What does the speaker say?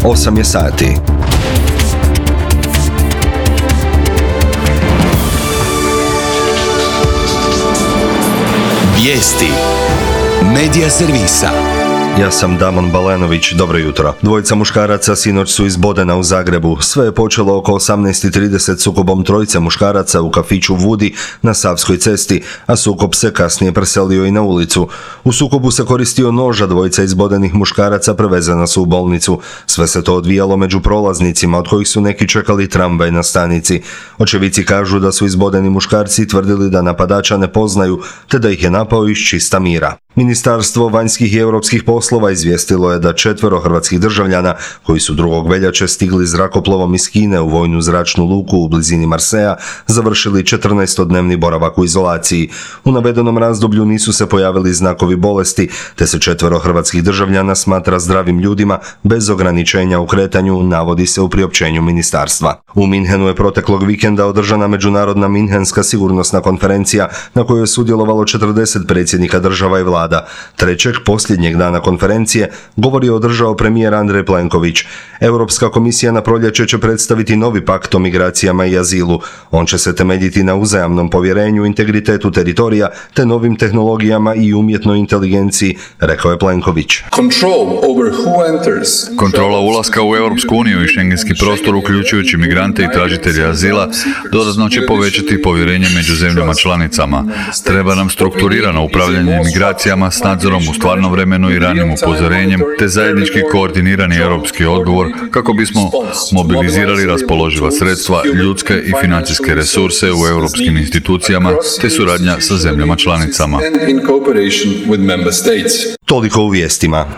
8 je sati. Vijesti Medija servisa. Ja sam Damon Balenović, dobro jutro. Dvojica muškaraca sinoć su izbodena u Zagrebu. Sve je počelo oko 18:30 sukobom trojice muškaraca u kafiću Vudi na Savskoj cesti, a sukob se kasnije preselio i na ulicu. U sukobu se koristio nož, a dvojica izbodenih muškaraca prevezena su u bolnicu. Sve se to odvijalo među prolaznicima, od kojih su neki čekali tramvaj na stanici. Očevici kažu da su izbodeni muškarci tvrdili da napadača ne poznaju, te da ih je napao iz čista mira. Ministarstvo vanjskih i europskih poslova izvijestilo je da 4 hrvatskih državljana koji su 2. veljače stigli zrakoplovom iz Kine u vojnu zračnu luku u blizini Marseja završili 14-dnevni boravak u izolaciji. U navedenom razdoblju nisu se pojavili znakovi bolesti, te se 4 hrvatskih državljana smatra zdravim ljudima bez ograničenja u kretanju, navodi se u priopćenju ministarstva. U Minhenu je proteklog vikenda održana međunarodna Minhenska sigurnosna konferencija na kojoj je sudjelovalo 40 predsjednika država i vlada. Trećeg, posljednjeg dana konferencije, govor je održao premijer Andrej Plenković. Europska komisija na proljeće će predstaviti novi pakt o migracijama i azilu. On će se temeljiti na uzajamnom povjerenju, integritetu teritorija te novim tehnologijama i umjetnoj inteligenciji, rekao je Plenković. Kontrola ulaska u Europsku uniju i šengenski prostor, uključujući migrante i tražitelje azila, dodatno će povećati povjerenje među zemljama članicama. Treba nam strukturirano upravljanje migracijama s nadzorom u stvarnom vremenu i ranim upozorenjem, te zajednički koordinirani europski odgovor kako bismo mobilizirali raspoloživa sredstva, ljudske i financijske resurse u europskim institucijama te suradnja sa zemljama članicama. Toliko u vijestima.